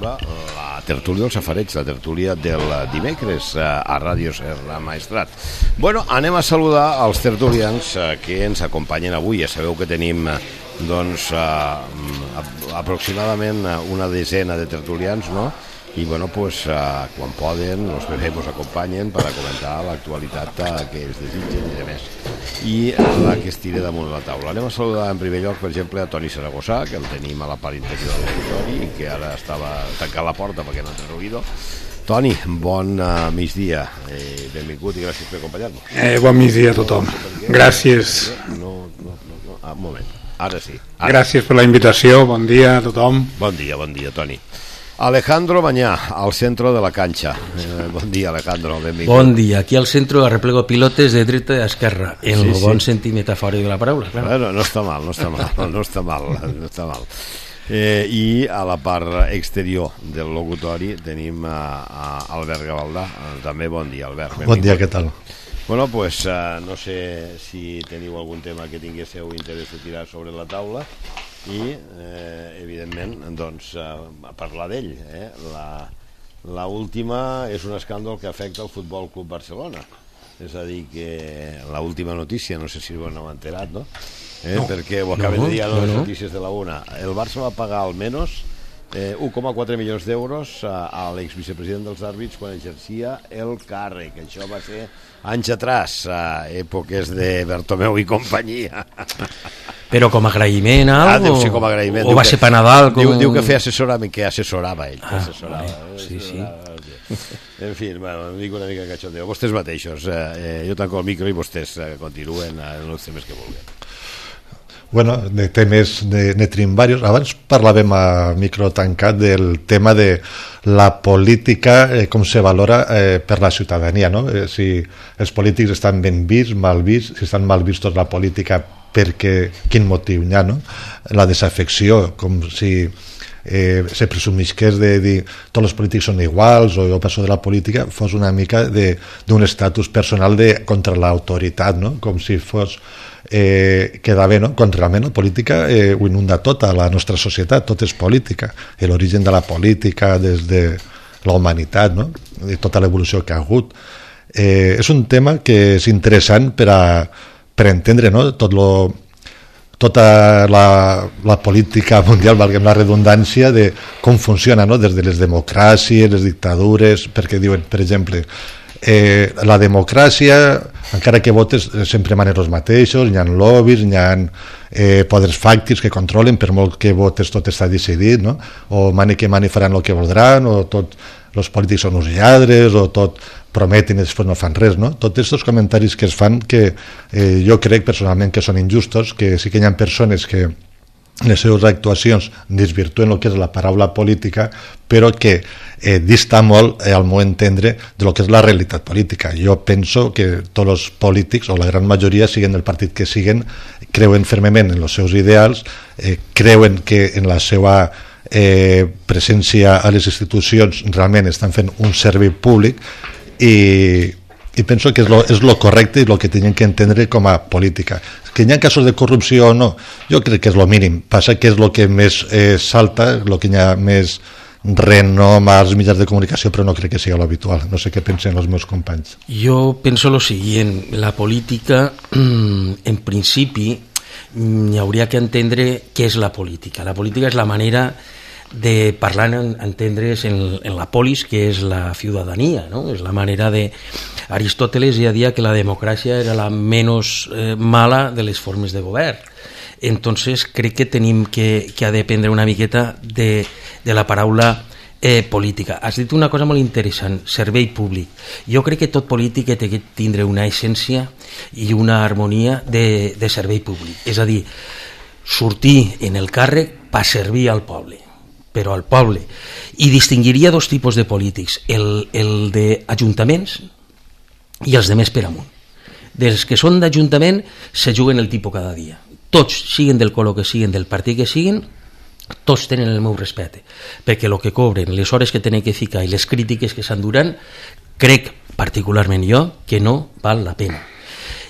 arriba la tertúlia dels safareigs, la tertúlia del dimecres a Ràdio Serra Maestrat. Bueno, anem a saludar els tertulians que ens acompanyen avui. Ja sabeu que tenim doncs aproximadament una desena de tertulians, no? I bueno, pues quan poden els bebès ens acompanyen per a comentar l'actualitat que es desitgen i demés, i la que es tira damunt la taula. Anem a saludar en primer lloc, per exemple, a Toni Saragossà, que el tenim a la part interior del auditori i que ara estava tancant la porta perquè no té ruïdo. Toni, bon migdia, benvingut i gràcies per acompanyar-nos. Bon migdia a tothom. Gràcies. Un moment, ara sí. Gràcies per la invitació, bon dia a tothom. Bon dia, Toni. Alejandro Mañá, al centro de la cancha. Bon dia, Alejandro, benvingut. Bon dia, aquí al centro arreplego pilotes de dreta i esquerra, en el bon sentit metafòric de la paraula. Claro. Bueno, no està mal. I a la part exterior del locutori tenim a Albert Gavaldà. També bon dia, Albert. Benvingut. Bon dia, què tal? Bueno, pues no sé si teniu algun tema que tinguéssiu interès de tirar sobre la taula i, evidentment, doncs, parlar d'ell. La última és un escàndol que afecta el Futbol Club Barcelona. És a dir, que l'última notícia, no sé si ho heu enterat, no? Perquè ho acaben de dir a les notícies de la una. El Barça va pagar almenys 1,4 milions d'euros a l'exvicepresident dels àrbits quan exercia el càrrec. Això va ser anys atrás, a èpoques de Bertomeu i companyia. Però com a agraïment a algo? Deu ser com a agraïment. O va ser per Nadal? Diu que feia assessorament, que assessorava ell. Sí. En fi, bueno, em dic una mica cachondeo. Vostès mateixos, jo tanco el micro i vostès continuen en els temes que vulguin. Bueno, de temes ne tenim diversos. Abans parlàvem a micro tancat del tema de la política, com se valora per la ciutadania, no? Si els polítics estan ben vists, mal vists, si estan mal vistos la política, perquè quin motiu hi ha, no? La desafecció, com si se presumisqués de dir tots els polítics són iguals, o jo passo de la política, fos una mica d'un estatus personal contra l'autoritat, no? Com si fos quedar bé, no? Quan realment la política ho inunda tota la nostra societat, tot és política, l'origen de la política des de la humanitat, no? De tota l'evolució que ha hagut. És un tema que és interessant per entendre, no? Tota la política mundial, valguem la redundància, de com funciona, no? Des de les democràcies, les dictadures, perquè diuen, per exemple, la democràcia, encara que votes sempre manen els mateixos, hi ha lobbies, hi ha poders fàctics que controlen, per molt que votes tot està decidit, no? O mani que mani faran el que voldran, o els polítics són uns lladres, o tot prometen i després no fan res, no? Tots aquests comentaris que es fan, que jo crec personalment que són injustos, que sí que hi ha persones que les seves actuacions desvirtuen el que és la paraula política, però que dista molt, al meu entendre, de lo que és la realitat política. Jo penso que tots els polítics, o la gran majoria, siguin del partit que siguin, creuen fermament en els seus ideals, creuen que en la seva presència a les institucions realment estan fent un servei públic, i penso que és lo correcte i el que tenen que entendre com a política. Que hi ha casos de corrupció o no, jo crec que és lo mínim. Passa que és el que més salta, el que hi ha més renom als mitjans de comunicació, però no crec que sigui l'habitual. No sé què pensen els meus companys. Jo penso lo siguient, la política, en principi, hi hauria que entendre què és la política. La política és la manera de parlar, entendre's en la polis, que és la ciutadania, ¿no? És la manera de... Aristóteles ja deia que la democràcia era la menys mala de les formes de govern. Entonces crec que tenim que dependre una miqueta de la paraula política. Has dit una cosa molt interessant, servei públic. Jo crec que tot polític té que tindre una essència i una harmonia de servei públic. És a dir, sortir en el càrrec per servir al poble, però al poble. I distingiria dos tipus de polítics, el d'ajuntaments i els de més per amunt. Dels que són d'ajuntament se juguen el tipus cada dia. Tots, siguin del color que siguin, del partit que siguin, tots tenen el meu respecte, perquè el que cobren, les hores que tenen que ficar i les crítiques que s'enduran, crec particularment jo que no val la pena.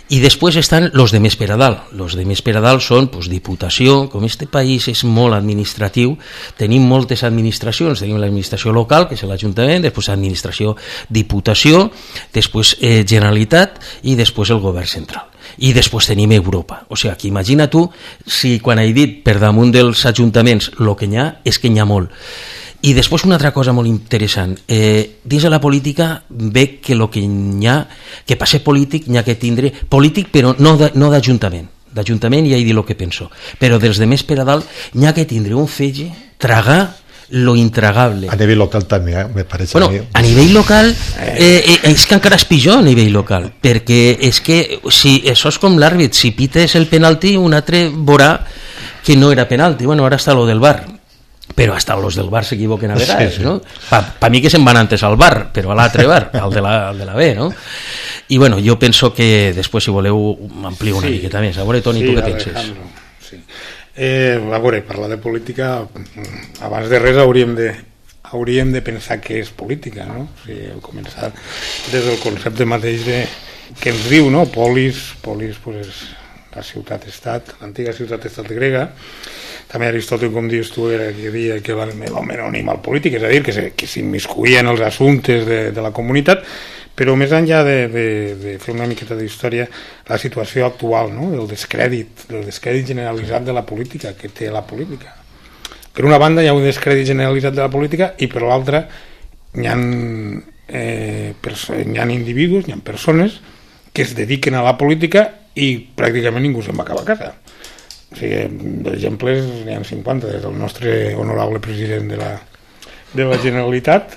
Y después están los de més per a dalt. Los de més per a dalt són pues, diputació. Com este país és molt administratiu, tenim moltes administracions. Tenim l'administració local, que és l'Ajuntament, després administració, diputació, després Generalitat i després el govern central. I després tenim Europa. O sigui, que imagina tu si quan he dit per damunt dels ajuntaments el que n'hi ha, és que n'hi ha molt. I després una altra cosa molt interessant, dins de la política veig que el que n'hi ha, que per ser polític n'hi ha que tindre, polític però no d'Ajuntament, d'Ajuntament ja he dit el que penso, però dels de més per a dalt n'hi ha que tindre un fetge, tragar lo intragable. A nivell local també, me pareix bueno, a mi. A nivell local és que encara és pitjor a nivell local, perquè és que si això és com l'àrbit, si pites el penalti un altre veurà que no era penalti, bueno, ara està lo del VAR, però hasta los del bar s'equivoquen a vegades, sí, sí. No? Pa mi que se'n van antes al bar, però a l'altre bar, al de la B, no? I bueno, jo penso que després, si voleu, m'amplio una miqueta més. A veure, Toni, tu què penses? Sí. A veure, parlar de política, abans de res hauríem de pensar què és política, no? O sigui, començar des del concepte mateix que ens diu, no? Polis pues, la ciutat-estat, l'antiga ciutat-estat grega. També Aristòtil, com dius tu, era que deia que l'home era un animal polític, és a dir, que s'immiscuïa en els assumptes de la comunitat, però més enllà de fer una miqueta d'història, la situació actual, no? del descrèdit generalitzat de la política, que té la política. Per una banda hi ha un descrèdit generalitzat de la política i per l'altra hi ha individus, hi ha persones que es dediquen a la política i pràcticament ningú se'n va acabar a casa. O sigui, d'exemples n'hi ha 50, des del nostre honorable president de la Generalitat,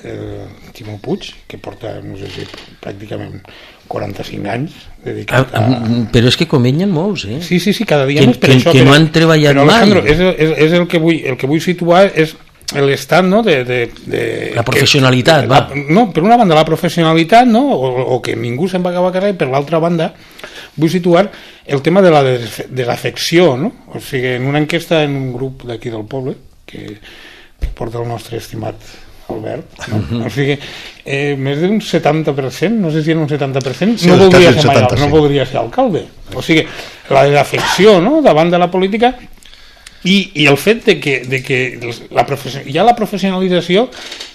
Ximo Puig, que porta, no sé si pràcticament 45 anys dedicat a... Però és que com ell n'hi ha molts, eh? Sí, cada dia més per això. Que no han treballat mai. Però, Alejandro, és el que vull situar és l'estat, no? La professionalitat, va. No, per una banda la professionalitat, no? O que ningú se'n va acabar a casa, i per l'altra banda vull situar el tema de la desafecció, no? O sigui, en una enquesta en un grup d'aquí del poble que porta el nostre estimat Albert, no? O sigui, més d'un 70%, no sé si en un 70%, sí, no voldria ser alcalde. O sigui, la desafecció, no?, davant de la política. I el fet de que hi ha la professionalització,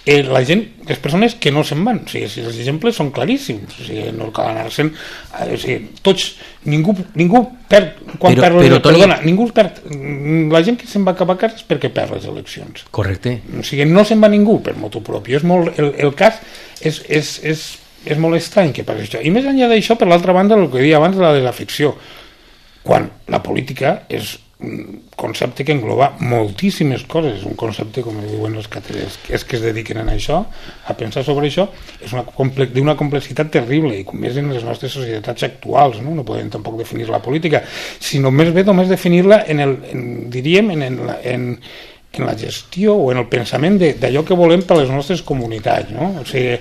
la gent, les persones que no se'n van, o sigui, els exemples són claríssims, o sigui, no cal anar-se'n, o sigui, tots, ningú perd quan perd les eleccions, perdona, ningú perd, la gent que se'n va acabar a casa és perquè perd les eleccions. Correcte. O sigui, no se'n va ningú per motu propi, és molt, el cas és molt estrany que passi això. I més enllà d'això, per l'altra banda, el que deia abans de la desafecció, quan la política és un concepte que engloba moltíssimes coses, un concepte, com diuen els cateres, és que es dediquen a això, a pensar sobre això, és d'una complexitat terrible, i com més en les nostres societats actuals, no podem tampoc definir la política, sinó més bé només definir-la en la gestió o en el pensament d'allò que volem per a les nostres comunitats, no? O sigui,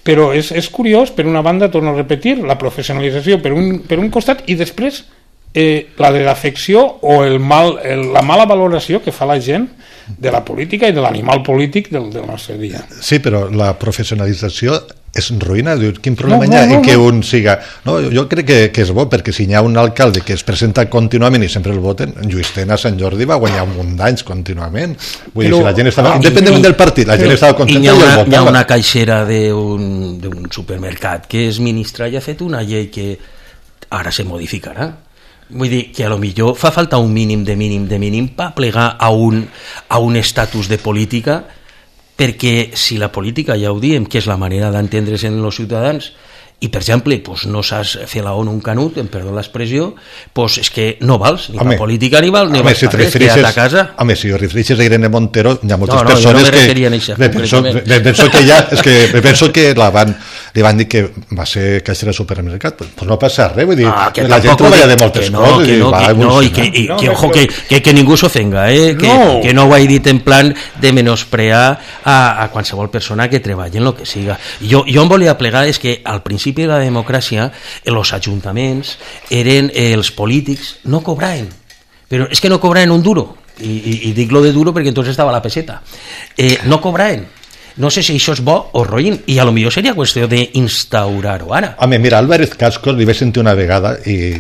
però és curiós, per una banda, torno a repetir, la professionalització per un costat, i després la desafecció o la mala valoració que fa la gent de la política i de l'animal polític del nostre dia. Sí, però la professionalització és ruïna. Quin problema hi ha en que un siga... No, jo crec que és bo, perquè si hi ha un alcalde que es presenta contínuament i sempre el voten, Lluís Tena a Sant Jordi va guanyar un munt d'anys contínuament. Vull dir, si la gent estava... Independentment del partit, la gent estava contenta i el votava. Hi ha una caixera d'un supermercat que es ministra i ha fet una llei que ara se modificarà. Vull dir que a lo millor fa falta un mínim per plegar a un estatus de política, perquè si la política, ja ho diem, que és la manera d'entendre's en els ciutadans, i per exemple no saps fer la ONU un canut, em perdó l'expressió, és que no vals ni la política ni vals per res, queda't a casa. Home, si ho refereixes a Irene Montero, hi ha moltes persones que penso que li van dir que va ser caixera de supermercat, doncs no passa res, vull dir, la gent treballa de moltes coses, que ningú s'ofenga, que no ho he dit en plan de menysprear a qualsevol persona que treballi en el que siga. Jo em volia plegar és que al principi de la democràcia els ajuntaments eren els polítics, no cobraven, però és que no cobraven un duro, i dic lo de duro perquè entonces estava la peseta, no cobraven, no sé si això és bo o roïn, i a lo millor seria qüestió d'instaurar-ho ara. Home, mira, Álvarez Cascos li vaig sentir una vegada, i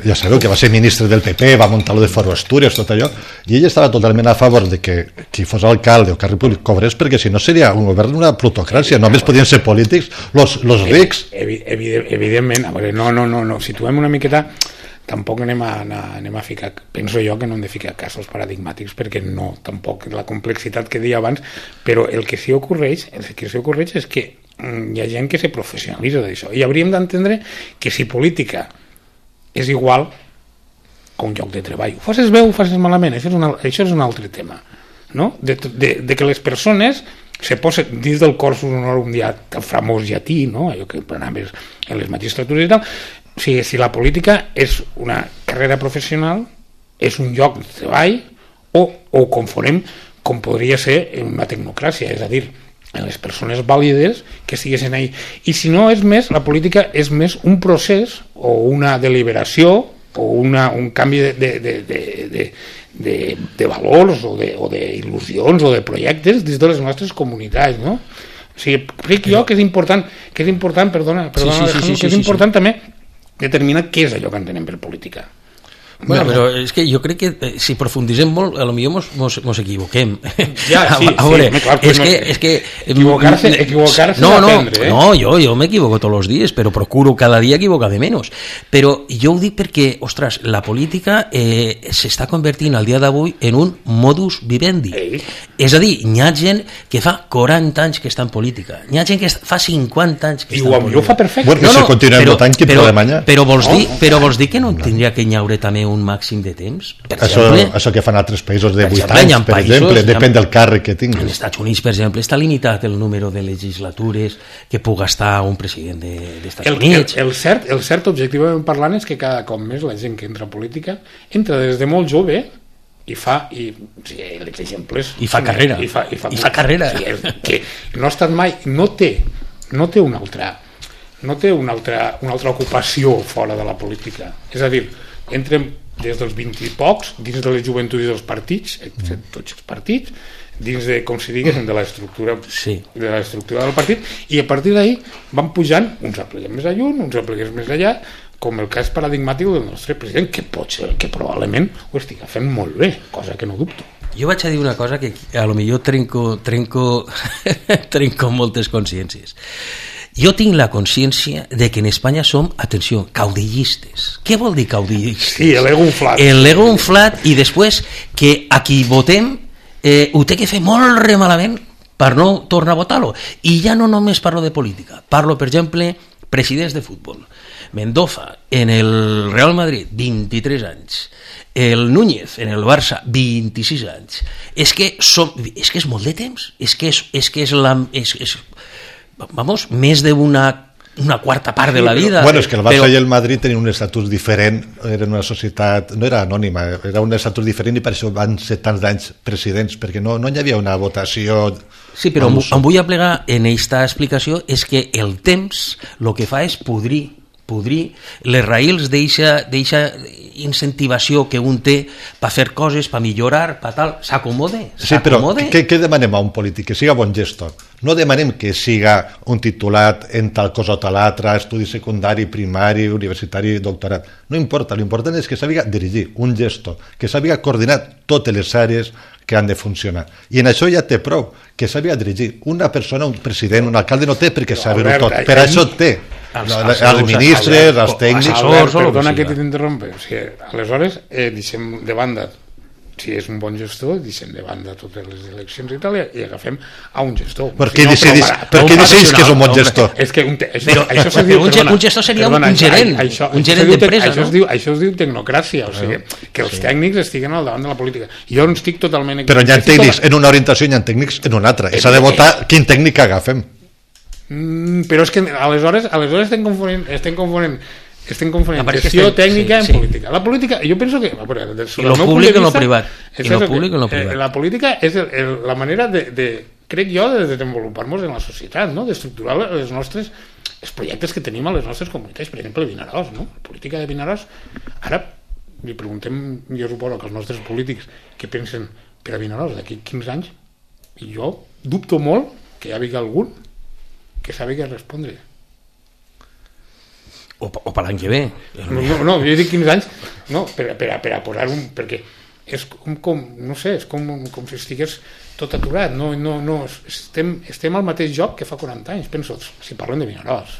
ja sabeu que va ser ministre del PP, va muntar lo de Foro Asturias, tot allò, i ell estava totalment a favor de que qui fos alcalde o càrrec públic cobrés, perquè si no seria un govern d'una plutocràcia, només podien ser polítics los rics. Evidentment, a veure, no, situem una miqueta, tampoc anem a ficar, penso jo que no hem de ficar casos paradigmàtics, perquè no, tampoc la complexitat que deia abans, però el que sí ocorreix és que hi ha gent que se professionalitza d'això, i hauríem d'entendre que si política és igual a un lloc de treball, ho facis bé o ho facis malament, això és un altre tema, no? De que les persones se posen dins del cursus honorum famós llatí, no? Allò que anaves en les magistratures i tal. O sigui, si la política és una carrera professional, és un lloc de treball, o confonem com podria ser en una tecnocràcia, és a dir, en les persones vàlides que estiguessin ahí. I si no és més, la política és més un procés o una deliberació o un canvi de valors o d'il·lusions o de projectes dins de les nostres comunitats, no? O sigui, crec jo que és important, perdona, que és important també determinar què és allò que entenem per política. Bueno, però és que jo crec que si profundisem molt, a lo millor mos equivoquem. Ja, sí, clar, és que equivocar-se d'aprendre, No, jo m'equivoco tots els dies, però procuro cada dia equivocar-me menys. Però jo ho dic perquè, ostres, la política s'està convertint al dia d'avui en un modus vivendi. És a dir, n'hi ha gent que fa 40 anys que està en política, n'hi ha gent que fa 50 anys que està en política. I ho fa perfecte. Bueno, si continuem votant, quin problema hi ha? Però vols dir que no tindria que hi haure també un màxim de temps? Això que fan altres països de 8 anys, per exemple, depèn del càrrec que tinguis. Als Estats Units, per exemple, està limitat el número de legislatures que puga estar un president d'Estats Units. El cert, objectivament parlant, és que cada cop més la gent que entra a política entra des de molt jove i fa carrera. I fa carrera. Que no ha estat mai, no té una altra ocupació fora de la política. És a dir, entrem des dels 20 i pocs dins de les joventuts dels partits, tots els partits, dins de, com si diguéssim, de l'estructura del partit, i a partir d'ahí van pujant, uns apleguem més lluny, uns apleguem més allà, com el cas paradigmàtic del nostre president, que pot ser que probablement ho estigui fent molt bé, cosa que no dubto. Jo vaig a dir una cosa que a lo millor trenco moltes consciències. Jo tinc la consciència de que en Espanya som, atenció, caudillistes. Què vol dir caudillistes? Sí, l'ego inflat. L'ego inflat, i després que a qui votem ho té que fer molt remalament per no tornar a votar-lo. I ja no només parlo de política, parlo, per exemple, presidents de futbol. Mendoza, en el Real Madrid, 23 anys. El Núñez, en el Barça, 26 anys. És que és molt de temps. És que és més d'una quarta part de la vida. Bueno, és que el Barça i el Madrid tenien un estatus diferent, eren una societat, no era anònima, era un estatus diferent, i per això van ser tants d'anys presidents, perquè no hi havia una votació. Sí, però em vull aplegar en aquesta explicació, és que el temps el que fa és podrir les raïls d'eixa incentivació que un té per fer coses, per millorar, per tal, s'acomode. Sí, però què demanem a un polític? Que siga bon gestor. No demanem que siga un titulat en tal cosa o tal altra, estudi secundari, primari, universitari, doctorat. No importa, l'important és que sàpiga dirigir, un gestor, que sàpiga coordinar totes les àrees que han de funcionar. I en això ja té prou, que sàpiga dirigir. Una persona, un president, un alcalde no té perquè saber-ho tot. Per això té els ministres, els tècnics. Perdona que t'interrompe. Aleshores, deixem de banda, si és un bon gestor, deixem de banda totes les eleccions i tal, i agafem a un gestor. Per què decidis que és un bon gestor? Un gestor seria un gerent, un gerent d'empresa. Això es diu tecnocràcia, o sigui, que els tècnics estiguen al davant de la política. Jo no estic totalment... Però hi ha tècnics en una orientació i hi ha tècnics en una altra. S'ha de votar quin tècnic agafem. Però és que aleshores estem confonent gestió tècnica en política. La política, jo penso que... I lo públic en lo privat. La política és la manera crec jo, de desenvolupar-nos en la societat, d'estructurar els projectes que tenim a les nostres comunitats. Per exemple, Vinaròs, la política de Vinaròs. Ara li preguntem, jo suposo que els nostres polítics què pensen per a Vinaròs d'aquí 15 anys, i jo dubto molt que hi hagi algun que sàpiga respondre. O per l'any que ve. No, jo dic 15 anys, no, per a posar un... perquè és com no sé, és com si estigués tot aturat, no, estem al mateix joc que fa 40 anys, penso, si parlem de Vinaròs.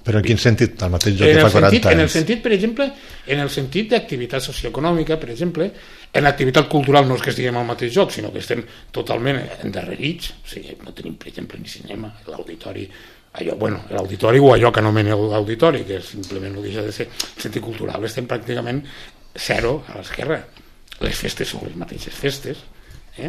Però en quin sentit, al mateix joc que fa 40 anys? En el sentit, per exemple, en el sentit d'activitat socioeconòmica, per exemple, en l'activitat cultural no és que estiguem al mateix joc, sinó que estem totalment endarrerits, o sigui, no tenim, per exemple, ni cinema, l'auditori, l'auditori o allò que anomena l'auditori, que simplement no deixa de ser sentit cultural, estem pràcticament zero a l'esquerra. Les festes són les mateixes festes,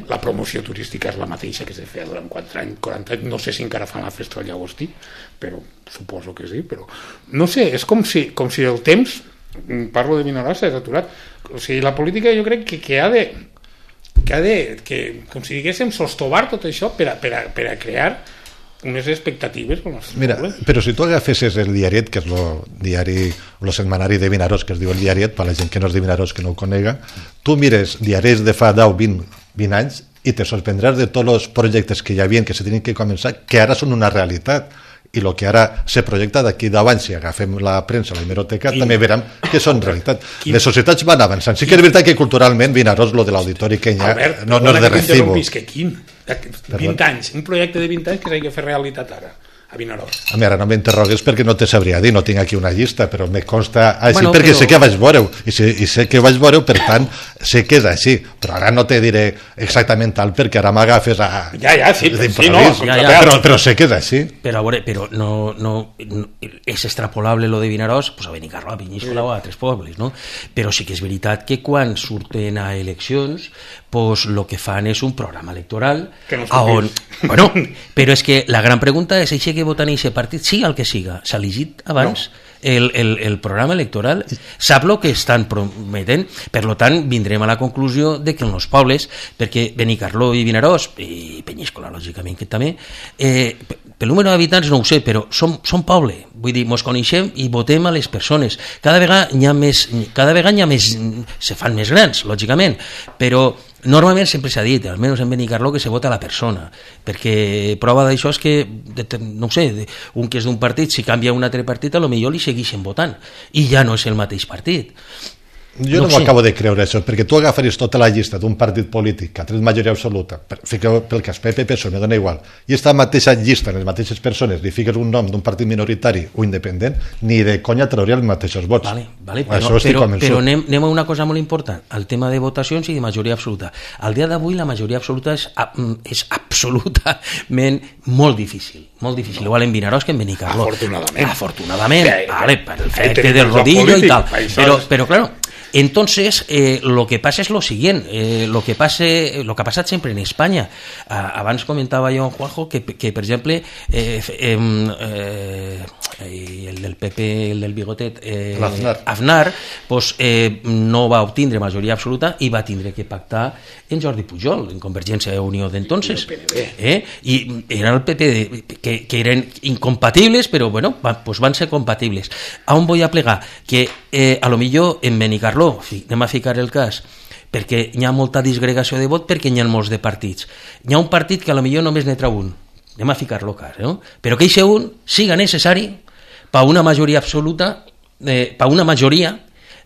la promoció turística és la mateixa que se feia durant 40 anys, no sé si encara fan la festa del llagostí, però suposo que sí, però no sé, és com si el temps, parlo de Vinaròs, s'ha aturat. O sigui, la política jo crec que ha de com si diguéssim sostovar tot això per a crear unes expectatives pel nostre poble. Però si tu agafessis el diariet, que és el setmanari de Vinaròs, que es diu el diariet, per la gent que no és de Vinaròs que no ho conega, tu mires diaris de fa 10, 20 anys i te sorprendràs de tots els projectes que hi havia, que se tenien que començar, que ara són una realitat. I el que ara se projecta d'aquí 10 anys, si agafem la premsa, la hemeroteca, també veurem que són realitat. Les societats van avançant. Sí que és veritat que culturalment Vinaròs, lo de l'auditori que ja no és de recibo. Que 20 anys, un projecte de 20 anys que s'ha de fer realitat ara a Vinaròs. A mi ara no m'interrogues perquè no te sabria dir, no tinc aquí una llista, però me consta així perquè sé que vaig veure-ho i sé que vaig veure-ho, per tant sé que és així, però ara no te diré exactament tal perquè ara m'agafes a... Però sé que és així. Però a veure, però no és extrapolable lo de Vinaròs pues a Benicarló, a Penyíscola o a altres pobles, no? Però sí que és veritat que quan surten a eleccions pues lo que fan és un programa electoral on... Bueno, però és que la gran pregunta és això que voten aquest partit, siga el que siga, s'ha elegit abans el programa electoral, sap el que estan prometent, per tant vindrem a la conclusió de que en els pobles, perquè Benicarló i Vinaròs i Penyíscola lògicament que també, pel número d'habitants no ho sé, però som poble, vull dir, mos coneixem i votem a les persones, cada vegada hi ha més, se fan més grans lògicament, però normalment sempre s'ha dit, almenys en Benicarló, que se vota a la persona, perquè prova d'això és que, no ho sé, un que és d'un partit, si canvia un altre partit, a lo millor li segueixen votant, i ja no és el mateix partit. Jo no m'ho acabo de creure això, perquè tu agafaries tota la llista d'un partit polític que ha tret majoria absoluta, fiqueu pel cas PP, PSOE, me dona igual, i aquesta mateixa llista, les mateixes persones, li fiques un nom d'un partit minoritari o independent, ni de conya trauria els mateixos vots. Vale, però anem a una cosa molt important, el tema de votacions i de majoria absoluta. Al dia d'avui la majoria absoluta és absolutament molt difícil. Igual en Vinaròs que en Benicarló. Afortunadament, per el fet del rodillo i tal. Però claro, entonces lo que pasa es lo siguiente, lo que ha passat sempre en Espanya. Abans comentava jo, Juanjo, que per exemple el del PP, el del bigotet, Aznar, pues, no va obtindre majoria absoluta i va tindre que pactar en Jordi Pujol, en Convergència i Unió d'entonces. I era el PP que eren incompatibles, però bueno, pues van ser compatibles. A on vull a plegar? Que a lo millor en Benicarló, anem a ficar el cas, perquè hi ha molta disgregació de vot perquè hi ha molts de partits. Hi ha un partit que a lo millor només n'hi trau un, anem a ficar-lo cas, no? Però que aquest un siga necessari per una majoria absoluta, per una majoria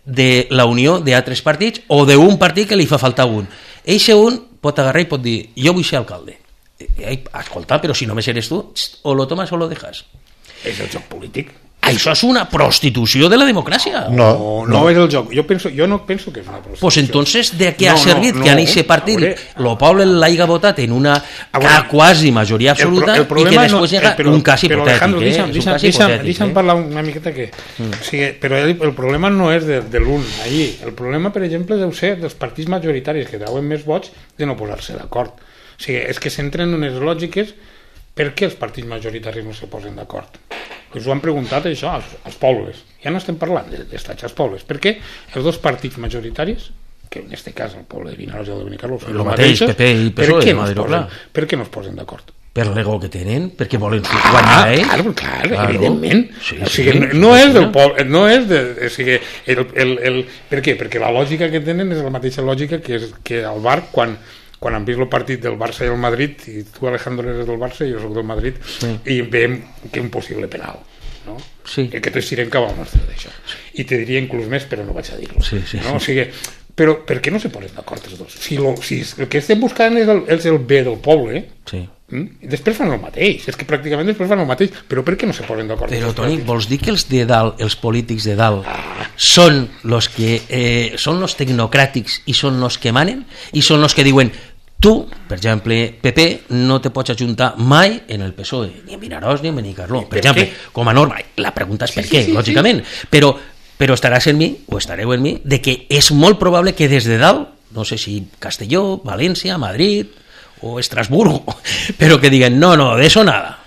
de la unió d'altres partits o d'un partit que li fa faltar un. Eixe un pot agarrar i pot dir, jo vull ser alcalde. Escolta, però si només eres tu, o lo tomas o lo dejas. És el joc polític. Això és una prostitució de la democràcia. No és el joc. Jo no penso que és una prostitució. Pues entonces, ¿de qué ha servit que en aquest partit el poble l'haiga votat en una quasi majoria absoluta i que després llega un cas hipotètic? Deixa'm parlar una miqueta que... Però el problema no és de l'un allí. El problema, per exemple, deu ser dels partits majoritaris que treuen més vots de no posar-se d'acord. O sigui, és que s'entren en unes lògiques. Per què els partits majoritaris no se posen d'acord? Us ho han preguntat això als pobles. Ja no estem parlant d'estats als pobles. Per què els dos partits majoritaris, que en aquest cas el poble de Vinaròs i el de Benicarló són els mateixos, PP i PSOE, per què no es posen d'acord? Per l'ego que tenen, perquè volen guanyar ells. Clar, evidentment. O sigui, no és del poble, no és de... O sigui, per què? Perquè la lògica que tenen és la mateixa lògica que el bar quan quan han vist el partit del Barça i el Madrid, i tu, Alejandro, eres del Barça i jo soc del Madrid, i veiem que és un possible penal, no? Sí. Que tots tirem cap al nostre d'això. I te diria inclús més, però no vaig a dir-lo. Sí. No? O sigui, però per què no se posen d'acord els dos? Si el que estem buscant és el bé del poble, i després fan el mateix, és que pràcticament després fan el mateix, però per què no se posen d'acord? Però, Toni, vols dir que els de dalt, els polítics de dalt, són los que són los tecnocràtics i són los que manen? I són los que diuen, tu, per exemple, PP, no te pots ajuntar mai en el PSOE, ni en Vinaròs ni en Benicarló, per exemple, com a norma. La pregunta és per què, lògicament, però estaràs en mi, o estareu en mi, de que és molt probable que des de dalt, no sé si Castelló, València, Madrid o Estrasburgo, però que diguen, no, de eso nada.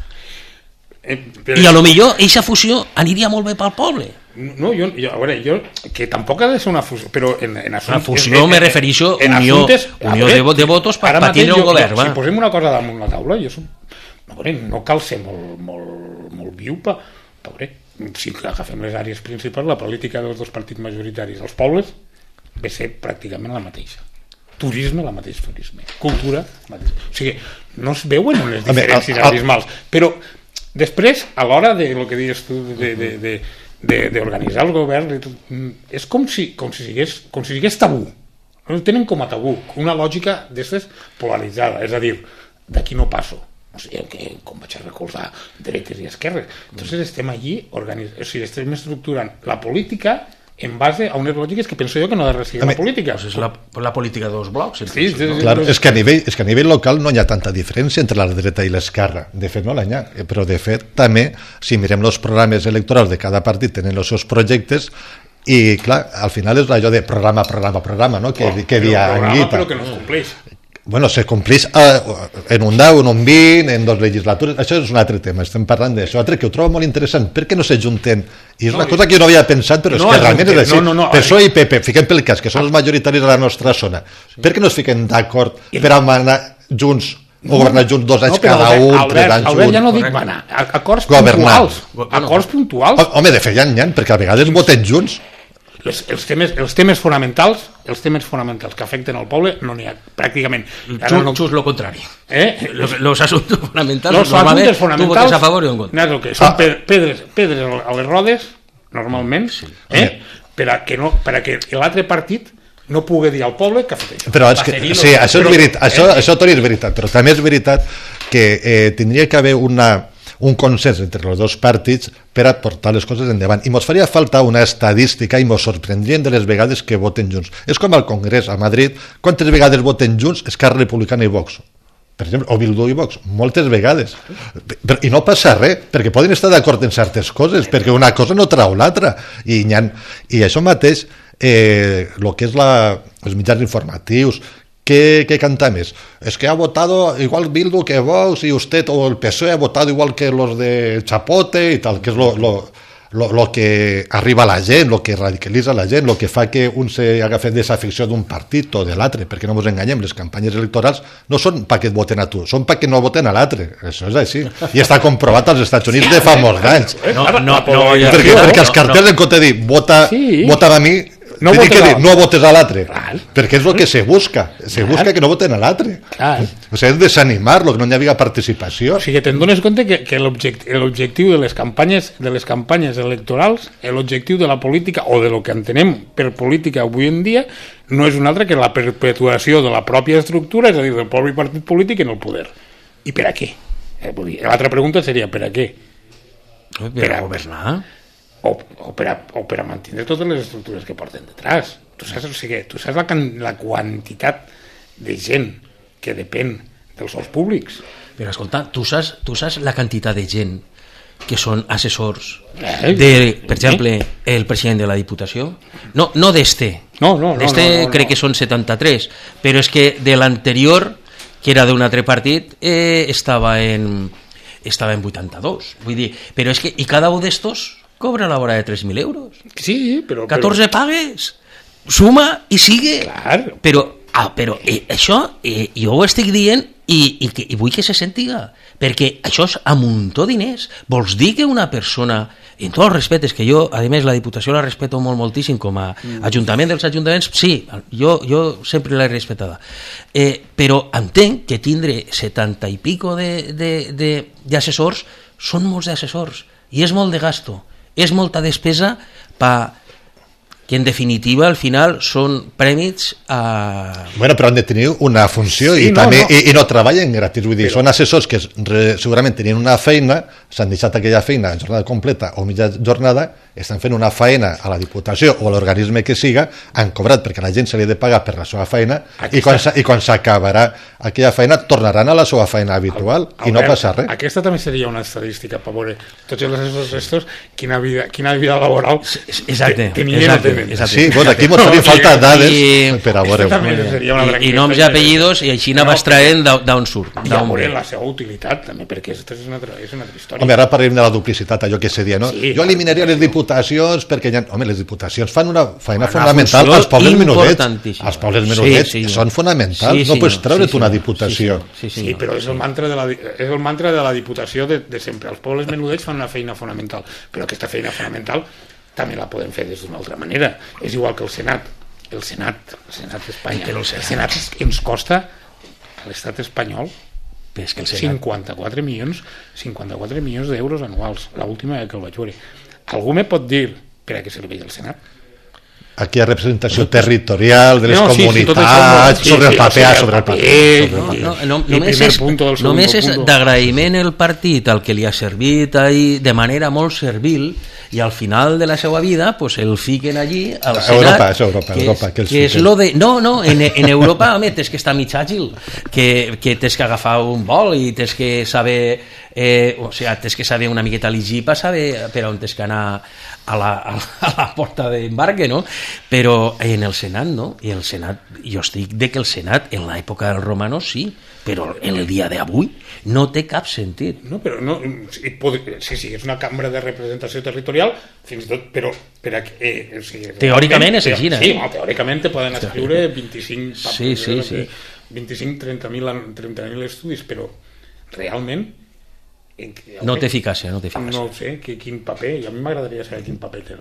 I a lo millor eixa fusió aniria molt bé pel poble. No, a veure, que tampoc ha de ser una fusió, però en assumptes... La fusió me refereixo a unió de votos per tindre un govern. Si posem una cosa damunt la taula, no cal ser molt viu per veure, si agafem les àrees principals, la política dels dos partits majoritaris als pobles ve ser pràcticament la mateixa. Turisme, la mateixa turisme. Cultura, la mateixa. O sigui, no es veuen unes diferències abismals, però després, a l'hora de lo que dius tu, d'organitzar el govern, és com si sigués tabú. No tenen com a tabú, una lògica d'aquestes polaritzada, és a dir, d'aquí no passo. No sé, com vaig a recolzar dretes i esquerres. Entonces estem allí, estem estructurant la política en base a unes lògiques que penso jo que no ha de residir la política. Pues és la política dels blocs. Sí, claro, és que a nivell local no hi ha tanta diferència entre la dreta i l'esquerra. De fet, no l'hi ha. Però, de fet, també, si mirem els programes electorals de cada partit, tenen els seus projectes i, clar, al final és allò de programa, no? Que dia Anguita. Però que no es compleix. Bueno, se complís en un 10, en un 20, en 2 legislatures, això és un altre tema, estem parlant d'això, altre que ho trobo molt interessant, per què no s'ajunten? I és una cosa que jo no havia pensat, però és que realment és així. PSOE i PP, fiquem pel cas, que són els majoritaris de la nostra zona, per què no es fiquen d'acord per manar junts o governar junts 2 anys cada un, 3 anys Albert, ja no dic manar, acords puntuals. Home, de fet ja n'hi ha, perquè a vegades voten junts. Els temes fonamentals que afecten al poble no n'hi ha pràcticament. Just lo contrari. Los asuntos fonamentals tu votes a favor i en contra. Són pedres a les rodes normalment, per a que l'altre partit no pugui dir al poble que ha fet això. Però és que, sí, això és veritat, això Toni, és veritat, però també és veritat que tindria que haver un consens entre els dos partits per a portar les coses endavant. I mos faria falta una estadística i mos sorprendrien de les vegades que voten junts. És com al Congrés, a Madrid, quantes vegades voten junts Esquerra Republicana i Vox? Per exemple, o Bildu i Vox, moltes vegades. I no passa res, perquè poden estar d'acord en certes coses, perquè una cosa no trau l'altra. I això mateix, el que és els mitjans informatius, ¿Qué canta més? Es que ha votado igual Bildu que Vox y usted o el PSOE ha votado igual que los de Chapote y tal, que es lo que arriba a la gent, lo que radicalitza la gent, lo que fa que un s'agafi desafecció d'un partit o de l'altre, perquè no ens enganyem, les campanyes electorals no són perquè et voten a tu, són perquè no voten a l'altre, això és així, i està comprovat als Estats Units de fa molts anys, perquè els cartells en compte de dir vota a mi, no votes a l'altre, perquè és el que se busca que no voten a l'altre, o sigui, és desanimar-lo, que no hi havia participació. O sigui, te'n dones compte que l'objectiu de les campanyes electorals, l'objectiu de la política o de lo que entenem per política avui en dia no és un altre que la perpetuació de la pròpia estructura, és a dir, del propi partit polític en el poder. I per a què? L'altra pregunta seria per a què? Per a governar? O per a mantenir totes les estructures que porten detrás. Tu saps la quantitat de gent que depèn dels sous públics. Però escolta, tu saps la quantitat de gent que són assessors de, per exemple, el president de la Diputació? No d'este. D'este crec que són 73, però és que de l'anterior, que era d'un altre partit, estava en 82. Vull dir, però és que, i cada un d'estos cobra la hora de 3.000 euros. Sí, però... 14 pagues, suma i sigue. Clar. Però això, jo ho estic dient i vull que se sentiga, perquè això és a muntó diners. Vols dir que una persona, en tots els respectes, que jo, a més, la Diputació la respeto moltíssim com a ajuntament dels ajuntaments, sí, jo sempre l'he respetada, però entenc que tindre 70 i pico d'assessors són molts d'assessors, i és molt de gasto, és molta despesa que en definitiva al final són prèmits a... Bueno, però han de tenir una funció i no treballen gratis, vull dir, són assessors que segurament tenien una feina, s'han deixat aquella feina en jornada completa o mitja jornada, estan fent una feina a la Diputació o a l'organisme que siga, han cobrat perquè la gent se li ha de pagar per la seva feina i quan s'acabarà aquella feina tornaran a la seva feina habitual i no passa res. Aquesta també seria una estadística per veure tots els assessors estos quina vida laboral tenien. Sí, bueno, aquí ens farien falta dades per a veure. I noms i apellidos, i així anaves traient d'on surt. I a veure la seva utilitat també, perquè aquesta és una altra història. Home, ara parlem de la duplicitat, allò que se dia, no? Jo eliminaria les diputacions perquè les diputacions fan una feina fonamental als pobles menudets. Els pobles menudets són fonamentals, no pots treure't una diputació. Sí, però és el mantra de la diputació de sempre. Els pobles menudets fan una feina fonamental, però aquesta feina fonamental també la podem fer d'una altra manera. És igual que el Senat d'Espanya. El Senat ens costa a l'estat espanyol 54 milions d'euros anuals, l'última que el vaig veure. Algú me pot dir per a què serveix el Senat? Aquí hi ha representació territorial de les comunitats, sobre el paper. Només és d'agraïment el partit al que li ha servit de manera molt servil, i al final de la seva vida pues el fiquen allí al Senat. Europa, que és lo de... No, en Europa, home, tens que estar mig àgil, que tens que agafar un vol i tens que saber tens que saber una miqueta llegir per saber per on tens que anar a la porta d'embarque, no? Però en el Senat no, i el Senat, jo estic de que el Senat en l'època dels romanos sí, però en el dia d'avui no té cap sentit. No, però no, sí, és una cambra de representació territorial, fins i tot, però teòricament és així, sí, teòricament te poden escriure 30.000 estudis, però realment no té eficàcia. No ho sé, quin paper, i a mi m'agradaria saber quin paper té.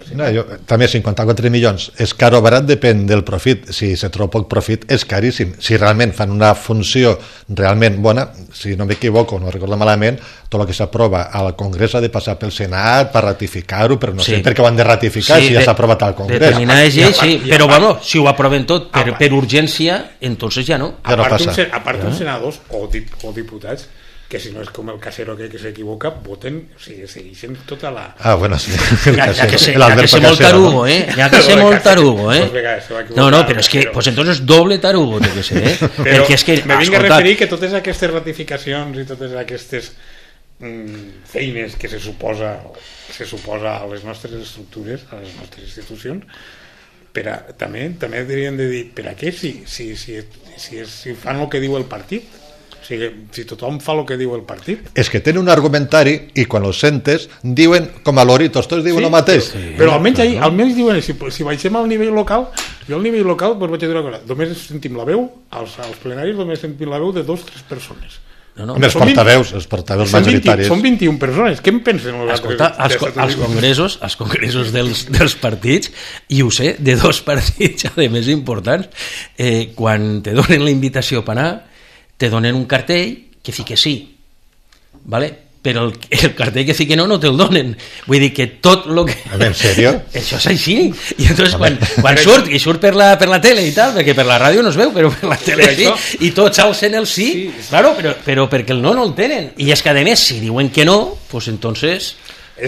També 54 milions és car o barat, depèn del profit. Si se troba poc profit és caríssim. Si realment fan una funció realment bona, si no m'equivoco, no recordo malament, tot el que s'aprova al Congrés ha de passar pel Senat per ratificar-ho, però no sé per què ho han de ratificar si ja s'ha aprovat al Congrés. Determinades lleis, sí, però bueno, si ho aproven tot per urgència, entonces ja no. A part uns senadors o diputats que si no és com el Casero que s'equivoca, voten, o sigui, segueixen tota la... Bueno, sí. Ja que sé molt tarugo, Ja que sé molt tarugo, No, però és que, pues entonces doble tarugo té que ser, Perquè és que... Me vinc a referir que totes aquestes ratificacions i totes aquestes feines que se suposa a les nostres estructures, a les nostres institucions, també haurien de dir per a què si fan el que diu el partit. O sigui, si tothom fa el que diu el partit. És que tenen un argumentari i quan els sentes diuen com a loritos, tots diuen el mateix. Però almenys diuen, si baixem al nivell local, jo al nivell local vaig dir una cosa, només sentim la veu, als plenaris només sentim la veu de 2 o 3 persones. Els portaveus majoritaris. Són 21 persones, què en pensen? Escolta, als congressos dels partits, i ho sé, de 2 partits a més importants, quan te donen la invitació per anar, te donen un cartell que fique sí, ¿vale? Però el cartell que fique no te'l donen. Vull dir que tot el que... ¿En serio? Això és així. I entonces quan surt per la tele i tal, perquè per la ràdio no es veu, però per la tele sí, i tots alcen el sí, claro, però perquè el no el tenen. I és que a més, si diuen que no, pues entonces...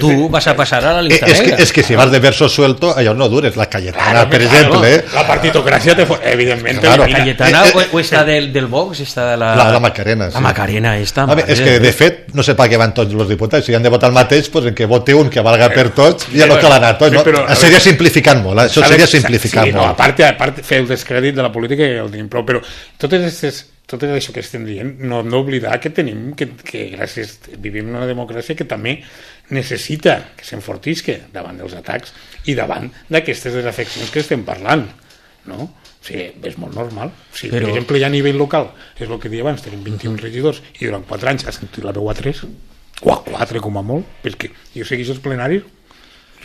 tú vas a pasar a la lista negra. Es que si vas de verso suelto, allá no dures. La Cayetana, per exemple. La partitocràcia, evidentment. La Cayetana o esta del Vox, esta de la Macarena. La Macarena, esta. És que, de fet, no sé per què van tots els diputats. Si han de votar el mateix, pues en que vote un que valga per tots, ja no cal anar tots. Seria simplificant molt. Això seria simplificar molt. A part, fer el descrèdit de la política ja ho tenim prou, però tot això que estem dient, no hem d'oblidar que gràcies vivim en una democràcia que també necessita que s'enfortisca davant dels atacs i davant d'aquestes desafeccions que estem parlant, no? O sigui, és molt normal. Si, Però... per exemple, ja a nivell local, és el que deia abans, tenim 21 regidors i durant 4 anys ha sentit la veu a 3, o a 4 com a molt, perquè jo segueix els plenaris,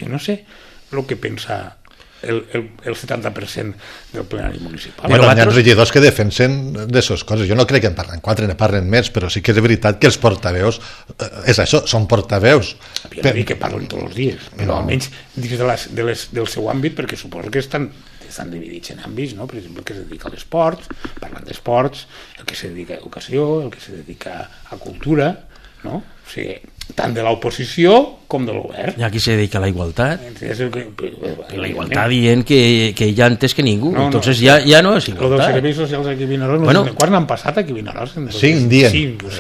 jo no sé el que pensa el 70% del plenari municipal. Bueno, hi ha regidors que defensen d'aquestes coses. Jo no crec que en parlen 4, ne parlen més, però sí que és veritat que els portaveus, és això, són portaveus. Jo no dic que parlen tots els dies, però almenys dins del seu àmbit, perquè suposo que estan dividits en àmbits, no? Per exemple, el que es dedica a l'esport, parlant d'esports, el que se dedica a educació, el que se dedica a cultura, no? O sigui, tant de l'oposició com de l'govern. Hi ha qui se dedica a la igualtat. La igualtat dient que ella antes que ningú. Entonces ja no és igualtat. Lo dels serveis socials aquí a Vinaròs, quan n'han passat aquí a Vinaròs? 5 dies.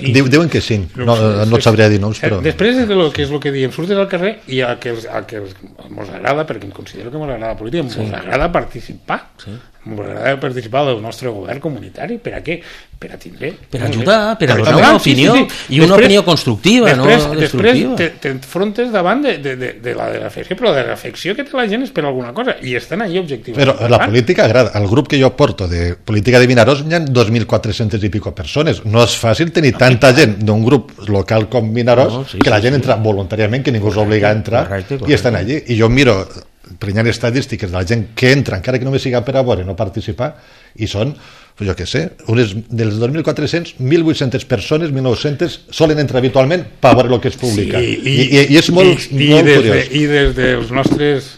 Diuen que 5. No sabria dir noms, però... Després de lo que és el que diem, surtes al carrer i a que ens agrada, perquè em considero que ens agrada la política, ens agrada participar. Ens agrada participar del nostre govern comunitari. Per a què? Per a tindre... Per ajudar, per a donar una opinió, i una opinió constructiva, no destructiva. Després t'enfrontes davant de la reflexió, però la reflexió que té la gent és per alguna cosa, i estan allà objectius. Però la política agrada. El grup que jo porto de política de Vinaròs hi ha 2.400 i pico persones. No és fàcil tenir tanta gent d'un grup local com Vinaròs que la gent entra voluntàriament, que ningú us obliga a entrar, i estan allí. I jo miro prenyant estadístiques de la gent que entra, encara que només siga per a veure, no participar, i són, jo què sé, unes dels 2.400, 1.800 persones, 1.900 solen entrar habitualment per veure el que es publica. I és molt curiós. I des dels nostres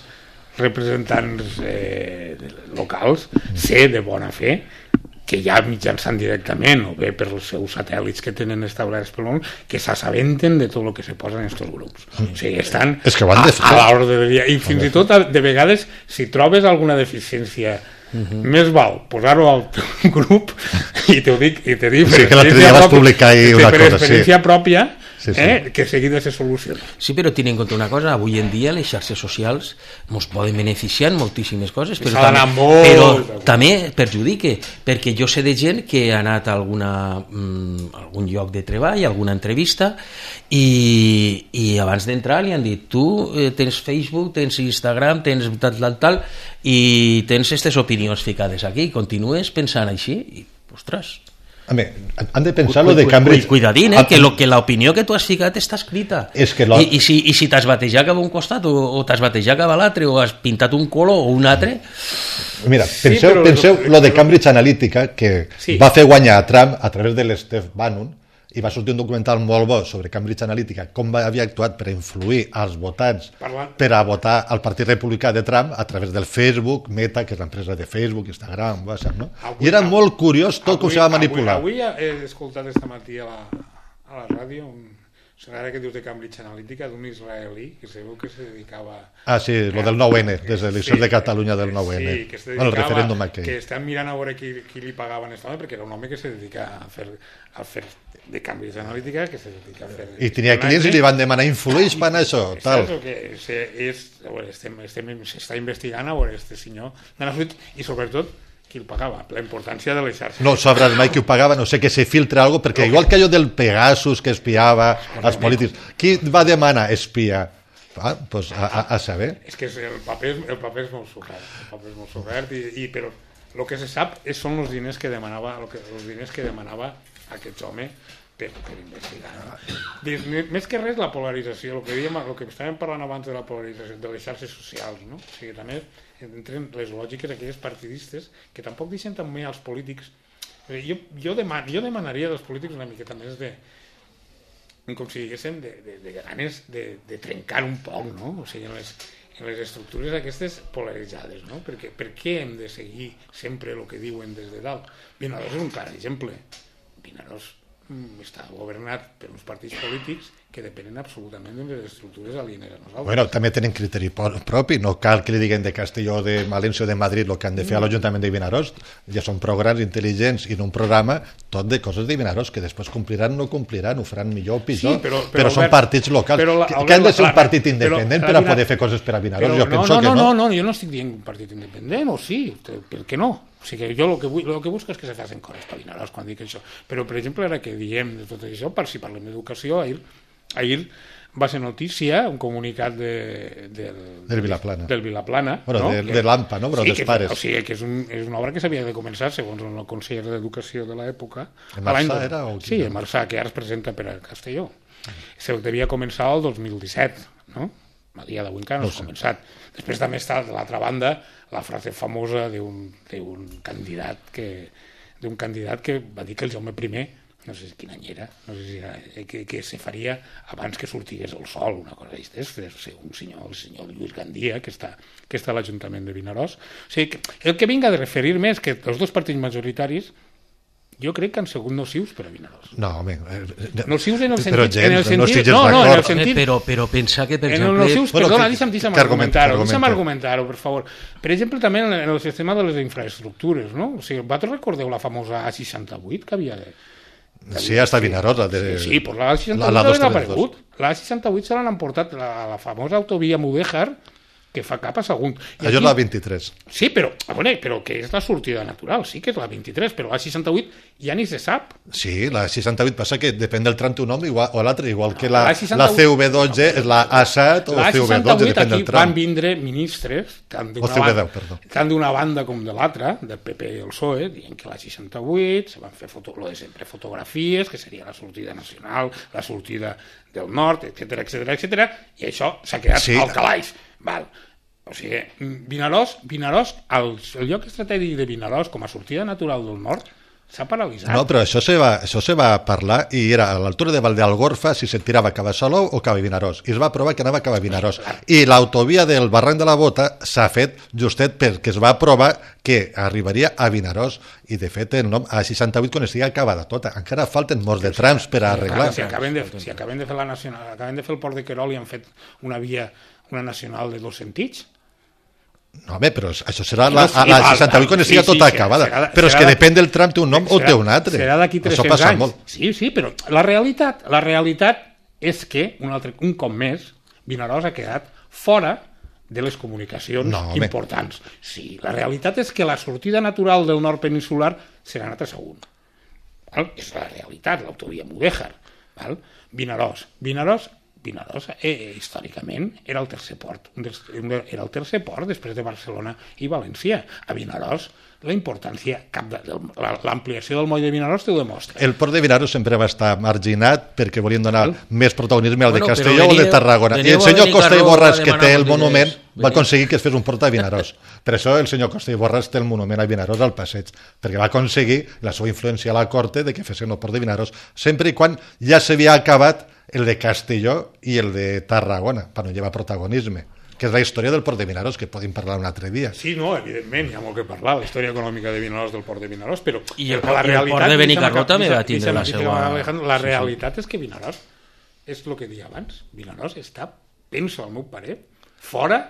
representants locals sé de bona fe que ja mitjançant directament o bé per els seus satèl·lits que tenen establerts pel món, que s'assabenten de tot el que se posa en aquests grups. O sigui, estan a l'ordre del dia. I fins i tot, de vegades, si trobes alguna deficiència, més val posar-ho al teu grup, i t'ho dic, per experiència pròpia, que seguida se soluciona. Sí, però tenint en compte una cosa, avui en dia les xarxes socials ens poden beneficiar en moltíssimes coses, però també perjudica, perquè jo sé de gent que ha anat a algun lloc de treball, a alguna entrevista, i abans d'entrar li han dit, tu tens Facebook, tens Instagram, tens tal, i tens aquestes opinions ficades aquí, i continues pensant així, i, ostres... Han de pensar lo de Cambridge. Cuidadín, que l'opinió que tu has ficat està escrita. I si t'has batejat cap a un costat o t'has batejat cap a l'altre o has pintat un color o un altre... Mira, penseu lo de Cambridge Analytica, que va fer guanyar a Trump a través de l'Steve Bannon, i va sortir un documental molt bo sobre Cambridge Analytica, com havia actuat per influir als votants per a votar al Partit Republicà de Trump a través del Facebook, Meta, que és l'empresa de Facebook, Instagram, WhatsApp, no? I era molt curiós tot com se va manipular. Avui he escoltat esta matí a la ràdio ara que dius de Cambridge Analytica, d'un israelí que sabeu que se dedicava... Sí, lo del 9-N, des de l'Elecció de Catalunya del 9-N. Sí, que se dedicava, el referèndum aquell. Que estan mirant a veure qui li pagaven aquesta home, perquè era un home que se dedica a fer de Cambridge Analytica, que se dedica a fer... I tenia clients i li van demanar influïts per això, tal. S'està investigant a veure este senyor, i sobretot qui el pagava, la importància de les xarxes. No sabràs mai qui ho pagava, no sé que se filtra algo, perquè igual que allò del Pegasus que espiava als polítics, qui va demanar espiar? Pues a saber. És que el paper és molt sobrat, però el que se sap són els diners que demanava aquest home per investigar. Més que res la polarització, el que estàvem parlant abans de la polarització de les xarxes socials, no? O sigui, també entren les lògiques aquelles partidistes que tampoc deixen també als polítics. Jo demanaria dels polítics una miqueta més com si diguéssim de ganes de trencar un poc, no? O sigui, en les estructures aquestes polaritzades, no? Per què hem de seguir sempre el que diuen des de dalt? Vinaròs és un clar exemple. Vinaròs està governat per uns partits polítics que depenen absolutament de les estructures alienes a nosaltres. Bueno, també tenen criteri propi, no cal que li diguen de Castelló, de València o de Madrid el que han de fer a l'Ajuntament de Vinaròs, ja són programes intel·ligents i en un programa tot de coses de Vinaròs que després compliran o no compliran, ho faran millor o pitjor, però són partits locals, que han de ser un partit independent per a poder fer coses per a Vinaròs. Jo penso que no. No, jo no estic dient un partit independent, o sí, per què no? O sigui, jo el que busco és que se facin coses per Vinaròs quan dic això. Però, per exemple, ara que diem de tot això, si parlem d'educació, ahir va ser notícia un comunicat del Vilaplana, bueno, no? de l'AMPA, no? Però sí, dels pares. O sigui, que és una obra que s'havia de començar segons el conseller d'Educació de l'època. El Marçà era? Sí, el Marçà, que ara es presenta per a Castelló. Se devia començar el 2017, no? A dia d'avui encara no s'ha començat. Després també està, de l'altra banda, la frase famosa d'un candidat que va dir que el Jaume I, no sé quin any era, no sé si era, que se faria abans que sortigués el sol, una cosa així, un senyor, el senyor Lluís Gandia, que està a l'Ajuntament de Vinaròs. O sigui, el que vinc a referir-me és que els dos partits majoritaris jo crec que han sigut nocius per a Vinaròs. No, home... Nocius en el sentit... Però gens, no estigues d'acord. Però pensar que, per exemple... En els nocius, perdona, deixa'm argumentar-ho, per favor. Per exemple, també en el sistema de les infraestructures, no? O sigui, vosaltres recordeu la famosa A68 que havia de... Sí, hasta Vinaròs. Sí, pues la A68 ha desaparegut. La A68 se l'han emportat, la famosa autovia Mudéjar, que fa cap a Sagunt. Allò és la 23. Sí, però que és la sortida natural, sí que és la 23, però la 68 ja ni se sap. Sí, la 68 passa que depèn del tram un nom o l'altre, igual que la CV12 és la A7 o la CV12, depèn del tram. Van vindre ministres, tant d'una banda com de l'altra, del PP i el PSOE, dient que la 68 se van fer sempre fotografies, que seria la sortida nacional, la sortida del nord, etc. I això s'ha quedat al calaix. Val. O sigui, Vinaròs, el lloc estratègic de Vinaròs com a sortida natural del nord s'ha paralitzat. No, però això se va parlar i era a l'altura de Valdealgorfa si se tirava cap a Salou o cap a Vinaròs. I es va aprovar que anava cap a Vinaròs. I l'autovia del barranc de la Bota s'ha fet justet perquè es va aprovar que arribaria a Vinaròs. I de fet el nom A68 quan estigui acabada tota. Encara falten molts de trams per arreglar. Si acaben de fer la nacional, acaben de fer el port de Querol i han fet una via, una nacional de dos sentits. No, home, però això serà la 68 quan estigui tota acabada. Però és que depèn del tram té un nom o té un altre. Serà d'aquí 300 anys. Sí, però la realitat és que, un cop més, Vinaròs ha quedat fora de les comunicacions importants. Sí, la realitat és que la sortida natural del nord peninsular serà anat a Sagunt. És la realitat, l'autovia Mudéjar. Vinaròs, històricament, era el tercer port. Era el tercer port després de Barcelona i València. A Vinaròs, la importància, l'ampliació del moll de Vinaròs te ho demostra. El port de Vinaròs sempre va estar marginat perquè volien donar més protagonisme al de Castelló o al de Tarragona. I el senyor Costa i Borràs, que té el monument, va aconseguir que es fes un port a Vinaròs. Per això el senyor Costa i Borràs té el monument a Vinaròs al passeig, perquè va aconseguir la seva influència a la corte de que fessin el port de Vinaròs, sempre i quan ja s'havia acabat el de Castelló i el de Tarragona, per no llevar protagonisme, que és la història del port de Vinaròs, que podem parlar un altre dia. Sí, no, evidentment, hi ha molt que parlar, la història econòmica de Vinaròs, del port de Vinaròs, però el port de Benicarló també va tindre la seva... La realitat és que Vinaròs, és el que deia abans, Vinaròs està, penso al meu parer, fora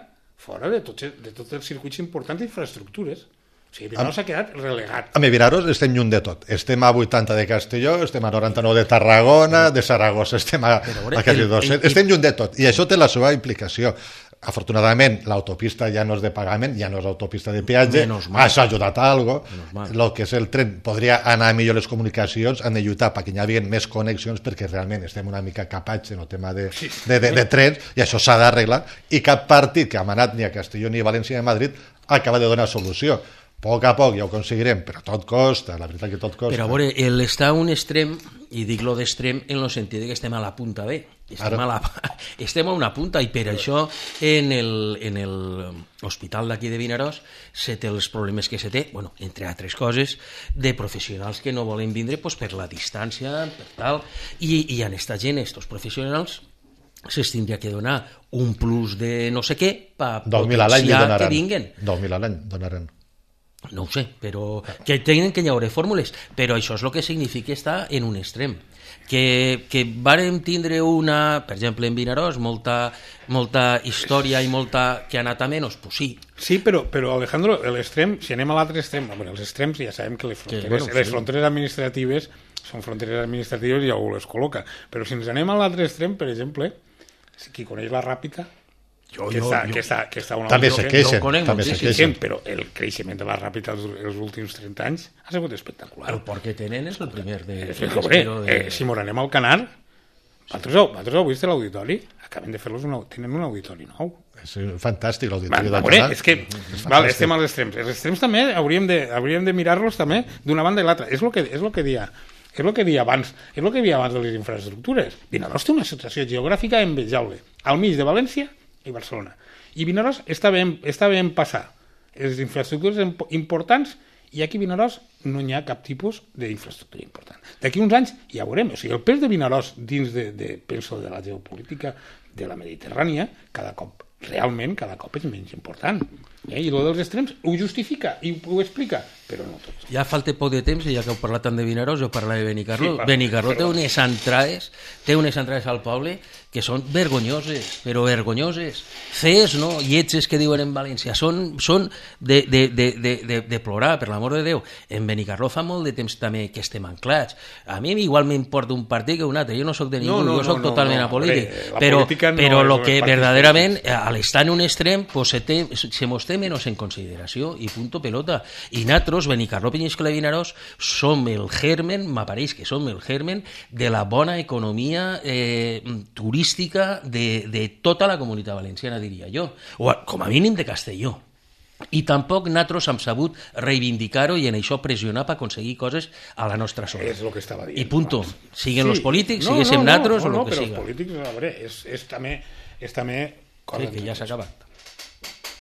de tots els circuits importants d'infraestructures. O sigui, Vinaròs s'ha quedat relegat. A mi, Vinaròs estem lluny de tot. Estem a 80 de Castelló, estem a 99 de Tarragona, de Saragossa, estem a quasi 200. Estem lluny de tot. I això té la seva implicació. Afortunadament, l'autopista ja no és de pagament, ja no és autopista de peatge, això ha ajudat a algo. El que és el tren podria anar millor les comunicacions, han de lluitar perquè hi hagi més connexions, perquè realment estem una mica capats en el tema de trens, i això s'ha d'arreglar, i cap partit que ha manat ni a Castelló ni a València ni a Madrid acaba de donar solució. A poc a poc ja ho aconseguirem, però tot costa, la veritat que tot costa. Però a veure, està a un extrem, i dic lo d'extrem en el sentit que estem a la punta B, estem a una punta, i per això en l'hospital d'aquí de Vinaròs se té els problemes que se té, bueno, entre altres coses, de professionals que no volen vindre per la distància, per tal, i en esta gent, estos professionals, se'ls tindria que donar un plus de no sé què per potenciar que vinguen. 2.000 a l'any donaran. No ho sé, però que tenen que hi haurà fórmules, però això és el que significa estar en un extrem. Que vàrem tindre per exemple en Vinaròs, molta història i molta que ha anat a menys, pues sí. Sí, però Alejandro, l'extrem, si anem a l'altre extrem, els extrems ja sabem que les fronteres administratives són fronteres administratives i algú les col·loca, però si ens anem a l'altre extrem, per exemple, qui coneix la Ràpita, que està una també se queixen, però el creixement de la Ràpita els últims 30 anys ha sigut espectacular. El port que tenen és el primer si mos anem al Canar, Vosaltres heu vist l'auditori? Acaben de fer-los tenen un auditori nou. És fantàstic l'auditori del Veure, canal. és que estem als extrems. Els extrems també hauríem de mirar-los també d'una banda i l'altra. És el que deia abans de les infraestructures. Vinaròs té una situació geogràfica envejable, al mig de València i Barcelona. I Vinaròs està ben passar les infraestructures importants, i aquí a Vinaròs no hi ha cap tipus d'infraestructura important. D'aquí uns anys ja veurem. O sigui, el pes de Vinaròs dins penso, de la geopolítica de la Mediterrània, cada cop és menys important. I el dels extrems ho justifica i ho explica, però no tots. Ja falta poc de temps, i ja que heu parlat tant de Vinaròs, jo parlaré de Benicarló. Sí, Benicarló té unes entrades al poble que són vergonyoses, però vergonyoses. Fees, no? Lletges que diuen en València. Són de plorar, per l'amor de Déu. En Benicarló fa molt de temps també que estem anclats. A mi igual m'importa un partit que un altre. Jo no soc de ningú, jo soc totalment apolític. Però el que verdaderament, a l'estar en un extrem, se mos té menys en consideració, i punto pelota. I nosaltres, Benicarló, Penyíscola i Vinaròs, som el germen, m'apareix que som el germen de la bona economia turística de tota la comunitat valenciana, diria jo, o com a mínim de Castelló. I tampoc nosaltres hem sabut reivindicar-ho i en això pressionar per aconseguir coses a la nostra zona. És el que estava dient. I punto. Siguen els polítics, siguéssim nosaltres o el que siga. Però els polítics, a veure, és també cosa... Sí, que ja s'ha acabat.